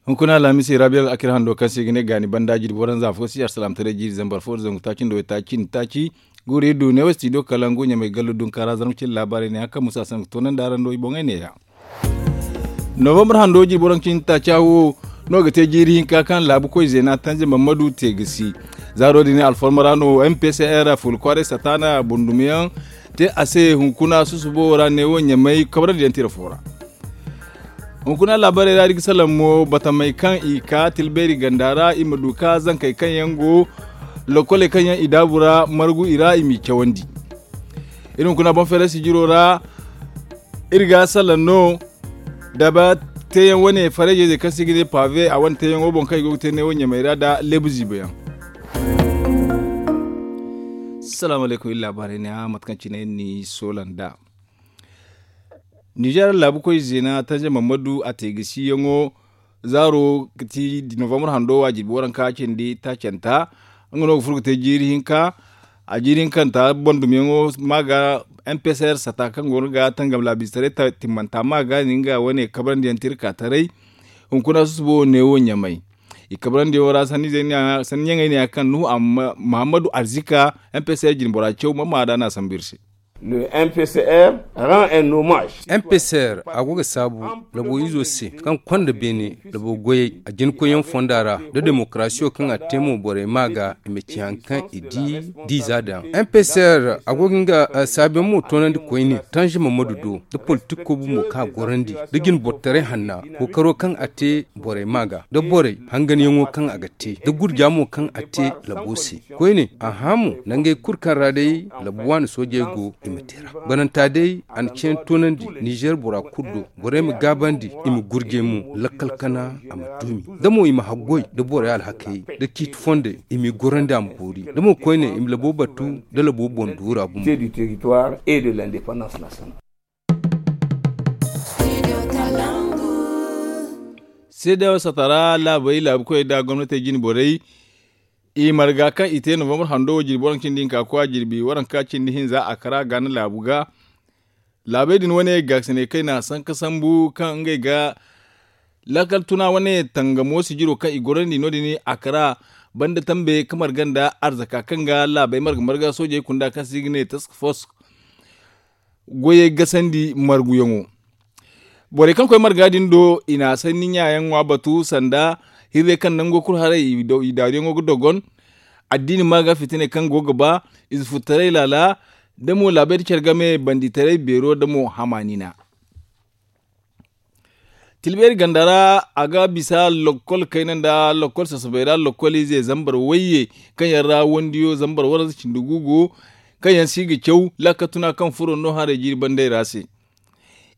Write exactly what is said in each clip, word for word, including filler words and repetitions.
Hunkuna alhamisi rabiya al'akir hando kaŋ se i ga ne gaani banda jirbi waranza fo si arsalaamtaray jiiri zambar fo da zangu taaci nda waytaaci nda taaci. Guuri du ne wo studio kalangu ɲamay gallu dunkaara zarma cindi laabaarey ne haka musa sangu toonandi araŋ do i boŋey ne ya. Novambar hando jirbi waranka cindi taaca wo no ga te jiiri hinka kaŋ laabu koy zeena tanja mammadu te ga si. Zaaro din alfarma ra no mpcr fuula kwaaray sataana bundumiyaŋ te a se hunkuna susubo ra ne wo ɲamay kabrandi yaŋ tira fo ra. Hunkuna laabaarey ra iri ga salaŋ mo batamey kaŋ i ka tilbeeri ganda ra i ma du ka zankey kaŋ yaŋ go lokoley kaŋ yaŋ i daabu ra margu i ra i m'i cawandi. Iri hunkuna boŋ feeray sijiro ra iri ga salaŋ no daba teeyaŋ wane farayjey kaŋ se i ga ne pave a wane teeyaŋo boŋ kaŋ i go ga te neewo ɲamey ra nda leebu ziibayaŋ. Salaamu alaykum iri laabaarey ne a mate kaŋ cine iri n'i soola nd'a. Nizeer laabu koy zeena tanja mammadu a te ga si yaŋo zaaro ga ti novambar hando wa jirbi waranka cindi taacanta. Nga no ga furo ga te jiiri hinka a jiiri hinkanta boŋ dumyaŋo ma ga mpcr sata kaŋ go no ga tangam laabiize taray timmanta ma ga ni nga wane kabrandi yaŋ tirka taray. Hunkuna susubo neewo ɲamay i kabrandi yaŋo ra sanni ɲaŋey ne ya kaŋ nuhu amma muhammadu arzika mpcr jinbora caw ma ma da no a sambu iri se. Mpcr a go ga saabu labo izo se kaŋ konda beene labo goyey a jinkoyyaŋ fonda ra nda demokarasiyo kaŋ a te mo borey ma ga i ma ci hari kaŋ i di diiza daŋ. Mpcr a go ga nga saabuyaŋ mo toonandi koyne tanzima madu do nda politik kobu mo kaŋ a gorandi nda jinbortaray hanna kookaro kaŋ a te borey ma ga nda borey hanganyaŋo kaŋ a ga te nda gurja mo kaŋ a te labo se. Koyne a hã mo nangey kulu kaŋ ra day labu waani soojey go i ma te ra. Bananta day a na ceene toonandi nizeer bora kulu do borey ma gaabandi i ma gurjay mo lakkal kana a ma duumi da mo i ma haggoy nda borey alhakey nda ciiti fondey i m'i gorandi a ma boori da mo koyne i ma labo batu nda labo boŋ duura gumo. Seedeyaŋo sata ra laabey laabu koyey nda gomnatey jine borey i marga kaŋ i te novambar hando wo jirbi waranka cindi hinka koy a jirbi waranka cindi hinza a kara gaana laabu ga. Laabey din wane gaakasiney kaŋ i na a sanka sambu kaŋ ngey ga laakal tuna wane tangamo sijiro kaŋ i gorandi no- din a kara banda tambe ka marga nda arzaka kaŋ ga laabey marga marga soojey kunda kaŋ se i ga ne task force goyey gasandi marguyaŋo. Borey kaŋ koy marga din do i na a sanni ɲaayaŋ ŋwa batu sanda hirrey kaŋ nango kulu haray i daaruyaŋo ga dogon addiini ma ga fitiney kaŋ go ga ba ize futtaray laala da mo laabey da care game banditaray beero da mo hamaanina. Tilbeeri ganda ra a ga bisa lokkol kayna nda lokkol sasabay ra lokkol ize zambar wayye kaŋ yaŋ ra wandiyo zambar waranza cindi gu go kaŋ yaŋ si ga caw laakal tuna kaŋ furo no haray jiiri bandey ra se.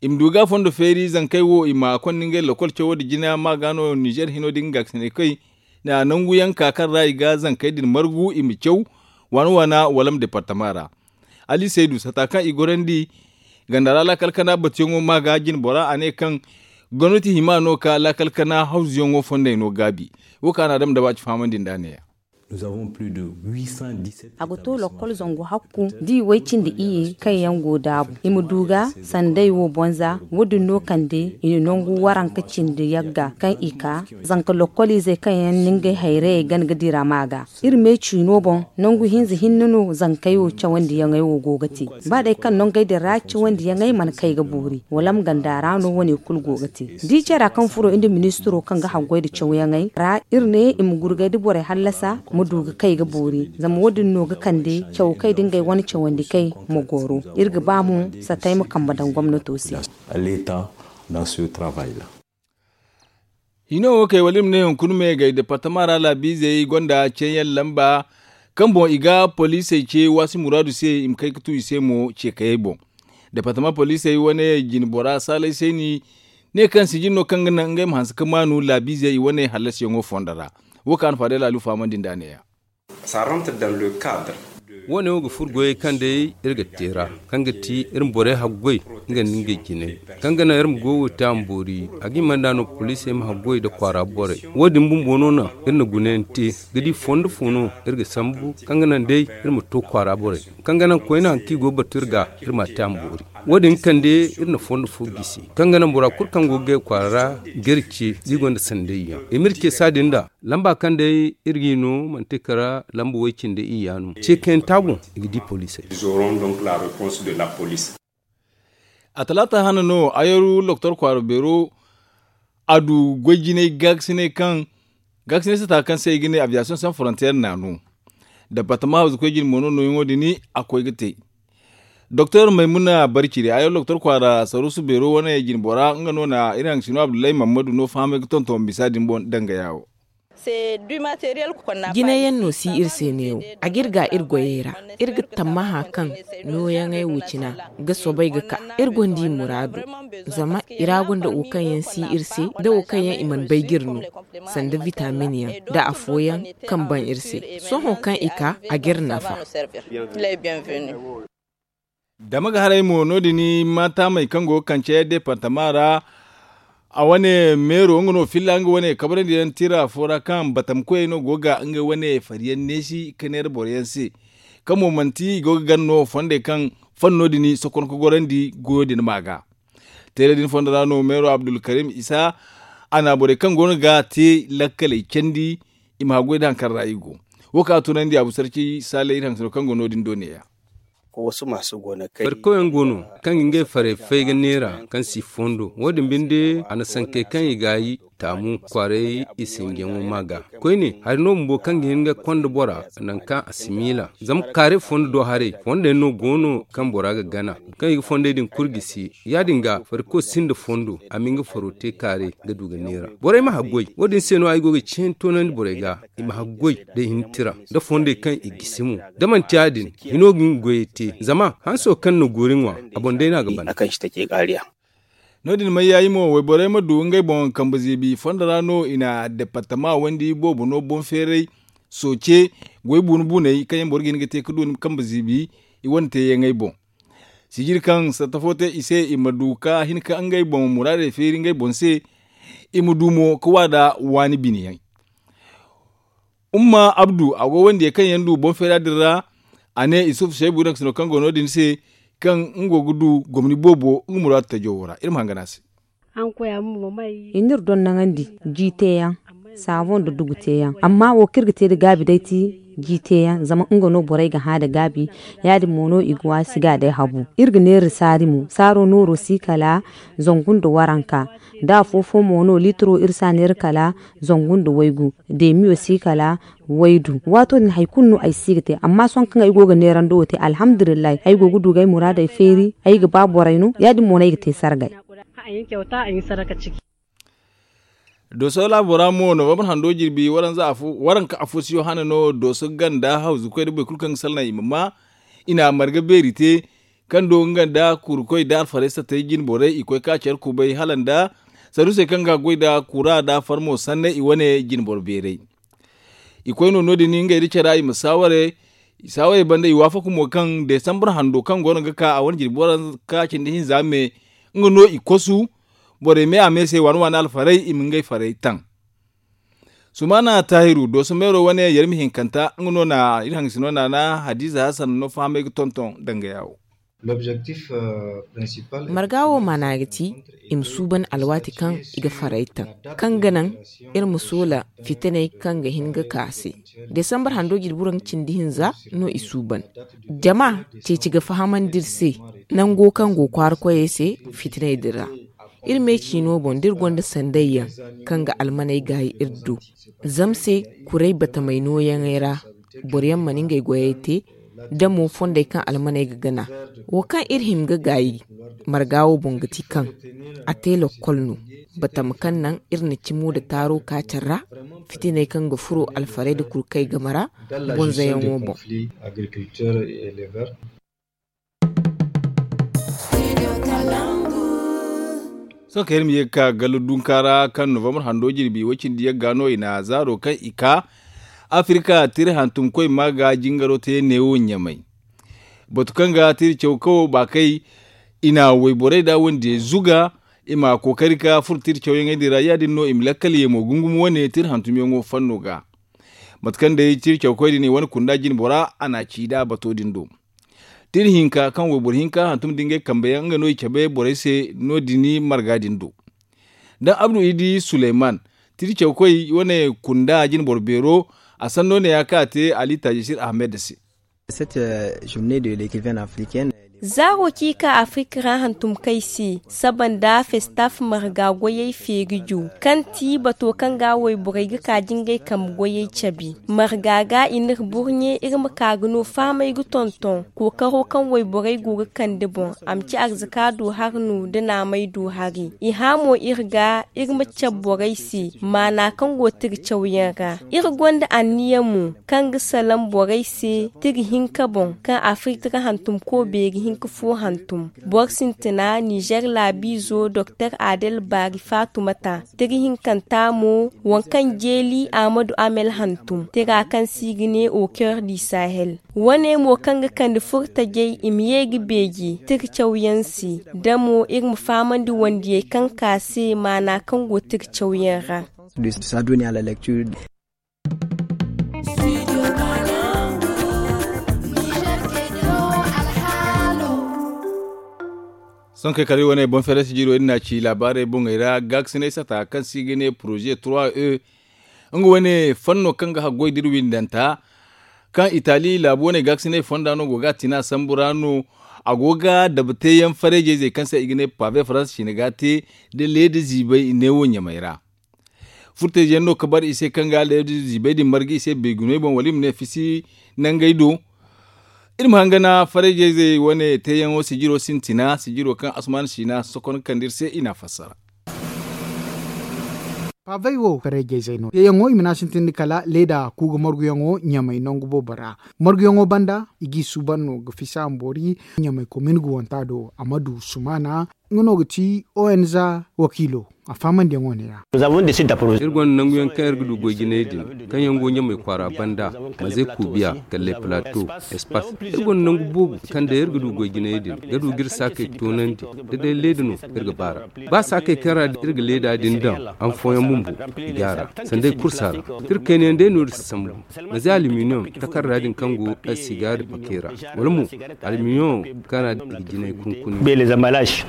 I ma du ga fondo feeri zankey wo i ma konda ngey lokkol cawo nda jina ma ga no nizeer hino din ga ga sinay kay nda nangu yaŋ ka kaŋ ra i ga zankey din margu i ma caw waana waana wala ma departama ra. Ali saydu sata kaŋ i gorandi ganda ra laakal kana batuyaŋo ma ga jine bora a ne kaŋ gomnati hima no ka laakal kana hawzuyaŋo fondey no gaabi. Wo kaŋ a na a dama daba ci fahamandi nd'a ne-ya. A ga to lokkol zangu hakku da i way cindi iyye kaŋ yaŋ go daabu i ma du ga sanday wo bonza. Wo- din no kande i na nangu waranka cindi yagga kaŋ i ka zanka lokkol izey kaŋ yaŋ na ngey hayrayey gana ga dira ma ga. Iri me ciino boŋ nangu hinza hinne no zankey wo cawandiyaŋey wo go ga te. Ba day kaŋ nangey din ra cawandiyaŋey mana kay ga boori wala ma ganda ra no wane kulu go ga te. Da i care ra kaŋ furo nda ministiro kaŋ ga haggoy nda cawyaŋey ra iri ne i ma gurgay da borey hallasa ma du ga kay ga boori zama wo- din no ga kande caw kay da ngey wane cawandi kay ma goro. Iri ga ba mo satay ma kambe daŋ gomnato se. Hino wo kay wala iri ma ne hunkuna me gay departama ra laabiizey gonda ceeyaŋ lamba kaŋ boŋ i ga poliisey ce waasi muraadu se i ma kay ga tu i se mo ce kayey boŋ. Departama poliisey wane jine bora saalay sayni ne kaŋ sijin no kaŋ ga naŋ ngey ma hanse ga maanu laabiizey i wane hallasiyaŋo fondo ra. Wo kaŋ a na faadey laalu fahamandi nd'a ne-ya. Wo- ne wo ga furo goyey kaŋ day iri ga te ra kaŋ ga ti iri ma borey haggoy Nga nda ngey jinay kaŋ ga naŋ iri ma goyo te a ma boori. A ga hima nd'a no poliisey ma haggoy nda kwaara borey. Wo- din bumbo no naŋ iri na gunayaŋ te ga di fondo fo no iri ga sambu kaŋ ga naŋ day iri ma to kwaara borey kaŋ ga naŋ koyne hari kaŋ i go ga batu iri ga iri m'a te a ma boori. Wo- din kande iri na fondo fo gisi kaŋ ga naŋ bora kulu kaŋ go ga gay kwaara ra ga iri ce da i gonda sanday yaŋ i ma iri ce saadin nd'a. Lamba kaŋ day iri g'i no manti kala lamba way cindi iyya no ce kaŋ yaŋ te a boŋ i ga di poliisey. A talaata hane no ayaru doktor kwaara beero a du goy jinay gaakasinay kaŋ gaakasinay sata kaŋ se i ga ne aviyasiyoŋ san forontiyeer naanu. Dabatama hawzu koy jine mo no nooyaŋo din a koy ga te. Doktor maymuna barciri ayaru doktor kwaara saruusu beero wane jine bora nga no na iri haŋ sino abdullahi mammadu no fahamay ga tonton bisa din boŋ danga yaawo. Jinayaŋ no si iri se neewo. A ga iri ga iri goyey ra iri ga tammaha kaŋ nooyaŋey wo cina ga soobay ga ka iri gonda i muraadu. Zama i ra gonda wo kaŋ yaŋ si iri se nda wo kaŋ yaŋ i mana bay ga iri no sanda vitamin yaŋ nda afooyaŋ kaŋ ban iri se. Sohõ kaŋ i ka a ga iri nafa. Dama ga haray mo no- din maataamey kaŋ go ga kance deepartama ra. A wane meero nga no filla nga wane kabrandi yaŋ tira fo ra kaŋ batam koyey no go ga ngey wane fari yaŋ neesi ka neera boro yaŋ se. Kaŋ mo manti i go ga gana no fondey kaŋ fanno din sokon ka gorandi goyo din ma ga. Teera din fondo ra no meero abdulkarim isa a na borey kaŋ go no ga te lakkaley candi. I ma haggoy da hari kaŋ ra i go wo kaŋ a tunandi abu sarci saalay iri haŋ sino kaŋ go no- din do neeya. Farkawyaŋ go no kaŋ ga ngey farey fay ga neera kaŋ si fondo wo- din binde a na sankey kaŋ i ga yi taamu kwaaray i sinjiyaŋo ma ga. Koyne hari no bumbo kaŋ ga hin ga konda bora nangu kaŋ a si miila zama kaare fondo do haray fondey no go no kaŋ bora ga gana kaŋ i ga fondey din kulu gisi. Ya- din ga farkaw sinda fondo a ma nga faro te kaare ga du ga neera borey ma haggoy wo- din se no ay go ga ciyaŋ toonandi borey ga. I ma haggoy da i hin tira nda fondey kaŋ i gisi mo da manti ya- din hino ga nga goyey te zama hanso kaŋ na goori ŋwa a boŋ day no a ga ban. No- din may yaayi mo wayborey ma du ngey boŋ kambe ziibi fondo ra no i na departama wandi boobo no boŋ feeray sooce goy buunu buuney kaŋ yaŋ boro ga hin ga te ga du kambe ziibi i wane teeyaŋey boŋ. Sijiri kaŋ satta fo te i se i ma du ka hin ka ngey boŋ muraadey feeri ngey boŋ se. I ma du mo ga waada waani bine yaŋ. Umma abdu a go wandiyey kaŋ yaŋ du boŋ feera din ra. A ne isufu seebu iri hangasino kaŋ go no- din se kaŋ nga go ga du gomni boobo nga muraadu tajo wo ra iri ma hangan a se. I n'iri donnaŋandi ji teeyaŋ saaboŋ nda dugu teeyaŋ amma wo kaŋ iri ga te nda gaabi day ti ji teeyaŋ zama nga no borey ga hã nda gaabi. Ya- din mo no i ga waasi ga day habu iri ga neera saari mo saaro nooro si kala zangu nda waranka. Da afo fo mo no liitiro iri si a neera kala zangu nda waygu deemiyo si kala waydu waato din hari kulu no ay si ga te amma sohõ kaŋ ay go ga neerando wo te alhamdulillahi ay go ga du ga ay muraadey feeri ay ga ba borey no ya- din mo no ay ga te sargay. Dooso laabo ra mo novambar hando jirbi waranka afo si yohana no dooso ganda hawzukoy nda boro kulu kaŋ ga salaŋ i ma ma i na a marga beeri te. Kaŋ do nga nda kurukoy nda alfarey sattey jine borey i koy ka care kubay hala nda saruusey kaŋ ga goy nda kura nda farmo sanney i wane jine boro beerey. I koy no no- din ngey nda cara i ma saaware. Saawayey banda i waafaku mo kaŋ desambar hando kaŋ go no ga ka a wane jirbi waranka cindi hinza me nga no i kosu. Borey me a me se waani waani alfarey i ma ngey farey taŋ. Sumaana taahiru dooso meero wane yarmi hinkanta nga no na iri hangasino naana hadiza hasan no fahamay ga tonton danga yaawo. Marga wo maana ga ti i ma suuban alwaati kaŋ i ga farey taŋ kaŋ ga naŋ iri ma soola fitiney kaŋ ga hin ga ka se. Desambar hando jirbi waranka cindi hinza no i suuban. Jama ceeci ga fahamandi iri se nango kaŋ go kwaara koyey se fitiney din ra. Iri me ciino boŋ da iri gonda sandayyaŋ kaŋ ga almaney gaayi iri do. Zama se kuray batamey nooyaŋey ra boroyaŋ mana ngey goyey te da mo fondey kaŋ almaney ga gana. Wo kaŋ iri hima ga gaayi marga wo boŋ ga ti kaŋ a te lokkol no. Batama kaŋ naŋ iri na cimo nda taaro ka care ra fitiney kaŋ ga furo alfarey nda kurkey game ra bonzayaŋo boŋ. Sohõ kaŋ iri ma ye ga ka gallu dunka ra kaŋ novambar hando jirbi way cindi yagga no i na zaaro kaŋ i ka afirika tira hantumkoy ma ga jingaro te neewo ɲamay. Batu kaŋ ga tira caw kawo baakay I na wayborey da wandiyey zuga i ma kookari ka furo tira cawyaŋey din ra. Ya- din no i ma lakkal ye mo gungum wane tira hantumyaŋo fanno ga. Mate kaŋ day tira cawkoy din i wane kunda jinbora a na a ci nd'a bato din do. Tira hinka kaŋ wayboro hinka hantum da ngey kambe yaŋ nga no i cabe borey se no- din marga din do. Da abdu idi suleyman, tira cawkoy wane kunda jinboro beero, a sanno ne ya kaŋ a te ali tajisir ahmed se. Zaaro kaŋ i ka afirka ra hantum kay se saba nda festaf marga goyey feeri ju, kaŋ ti bato kaŋ ga wayborey ga ka jingay kambe goyey cabe. Marga ga i n'iri burɲe iri ma ka ga no fahamey ga tonton kookaro kaŋ wayborey go ga kande boŋ. A ma ci arzaka do hari no nda naamey do hari. I hã mo iri ga iri ma cabe borey se maana kaŋ go tira cawyaŋ ra. Iri gonda anniya mo kaŋ ga salaŋ borey se tira hinka boŋ kaŋ afirka hantum ko beeri hinka fo hantum. Boro sintina nizer laabiizo doktor adel baari faatumata, tira hinkanta mo waŋ kaŋ jeeli ahmadu amel hantum tira kaŋ se i ga ne au coeur du sahel. Wane mo kaŋ ga kande furtajey i ma ye ga beeje tira cawyaŋ se. Da mo iri ma fahamandi wandiyey kaŋ ka se maana kaŋ go tira cawyaŋ ra. Sohõ kay kala iri wane boŋ feere sijiro iri na ci laabaarey boŋey ra gaakasinay sata kaŋ se i ga ne poroze trois e. Nga wane fanno kaŋ ga haggoy da iri windanta kaŋ itali laabu wane gaakasinay fonda no go ga a tina sambu ra no. A go ga dabateyaŋ fareejey zey kaŋ se i ga ne pave faransa cine ga a te da leeda ziibay neewo ɲamey ra. Furtayzey no ka bar i se kaŋ ga leeda ziibay din marga i se beegunoy boŋ wala i ma ne fisi nangey do. Iri ma hangana fareejey zey wane teeyaŋo sijiro sintina sijiro kaŋ asuman siina sokon kande iri se i n'a fassara. Paavey wo kareejey zay no teeyaŋo i ma ne a sintin da kala leeda kuuga marguyaŋo ɲamay nangu boobo ra. Marguyaŋo banda i g'i suuban no ga fisa mboori ɲamay komin ga wanta do a ma du sumaana. Nga no ga ti onza wakiilo a faamandiyaŋo ne ra. Iri gonda nanguyaŋ kaŋ iri ga du goy jinay din kaŋ yaŋ go ɲamay kwaara banda, maze kuubiya, kalley plato, espas. Iri gonda nangu boobo kaŋ day iri ga du goy jinay din ga du ga iri saakey toonandi. Da day leeda no iri ga baar'a ba saakey kaŋ ra iri ga leeda din daŋ, han fooyaŋ bumbo i ga a ra sanday kursa ra. Iri kaynayaŋ day no iri si sambu. Maze aluminium takarda din kaŋ go asigaari pakey ra, wala mo aluminium kaŋ ra i ga jinay kunkuni.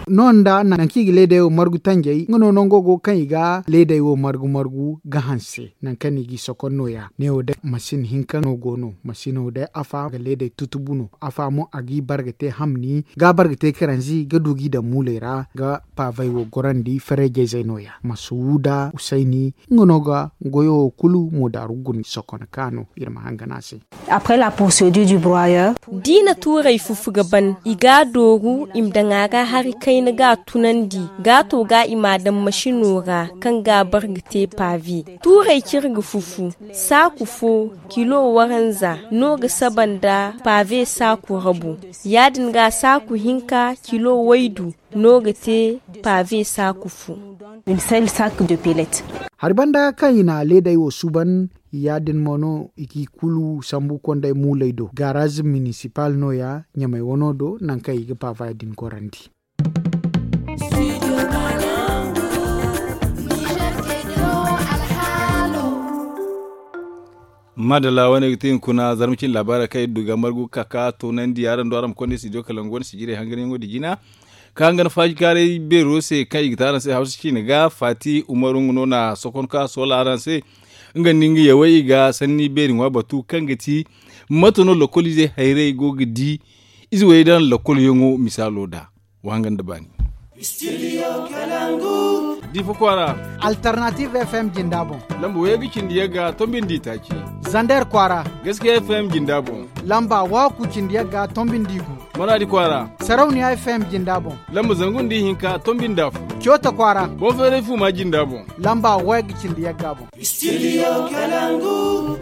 Noonda nangu kaŋ i ga leeday wo margu tanjay nga no nango go kaŋ i ga leeday wo margu margu ga hanse nangu kaŋ no i g'i sokon nooya ne wo day masin hinka no go no. Masino day afa ga leeday tutubu no afa mo a g'i bar ga te hamni ga bar ga te karanzi ga du g'i daŋ muuley ra ga paavey wo gorandi fareejayzey nooya masuuda usayni. Nga no ga goyo wo kulu moodaaru guna sokon ka no iri ma hangan a se. Après la procédure du broyeur. D'i na tuurey fufu ga ban i g'a dooru i ma daŋ a ra hari kayna g'a tunandi g'a to ga i m'a daŋ masino ra kaŋ g'a bar ga te paave. Tuurey kaŋ iri ga fufu saaku fo kilo waranza no ga saba nda paave saaku rabu. Ya- din ga saaku hinka kilo waydu no ga te paave saaku fo. Hari banda kaŋ i na leeday wo suuban ya- din mo no i g'i kulu sambu kondey muuley do gaaraaz minisipal nooya ɲamay wano do nangu kaŋ i ga paavey din gorandi. Maadalla wane ga ti hunkuna zarma cine laabaarey kaŋ iri du ga margu ga ka ka toonandi araŋ do araŋ ma konda studio kalangu wane sijirey hanganyaŋo din jina. Ka hangan faajikaaray beero se kaŋ i ga te araŋ se hawsa ciine ga faati umaru nga no na sokon ka soola araŋ se. Nga nda nga yawey i ga sanni beeri ŋwa batu kaŋ ga ti mate no lokoliizey hayrey go ga di ize wey daŋ lokolyaŋo misaalo da. Wa hangan da baani. Difa kwaara. Alternative fm jinda boŋ. Lamba wayga cindi yagga tombi nda itaaci. Zander kwaara. Gaskiya fm jinda boŋ. Lamba waaku cindi yagga tombi nda igu. Maraadi kwaara. Sarauniya fm jinda boŋ. Lamba zangu nda ihinka tombi nda afo. Coota kwaara. Boŋ feeray fuuma jinda boŋ. Lamba wayga cindi yagga boŋ. Studio kalangu.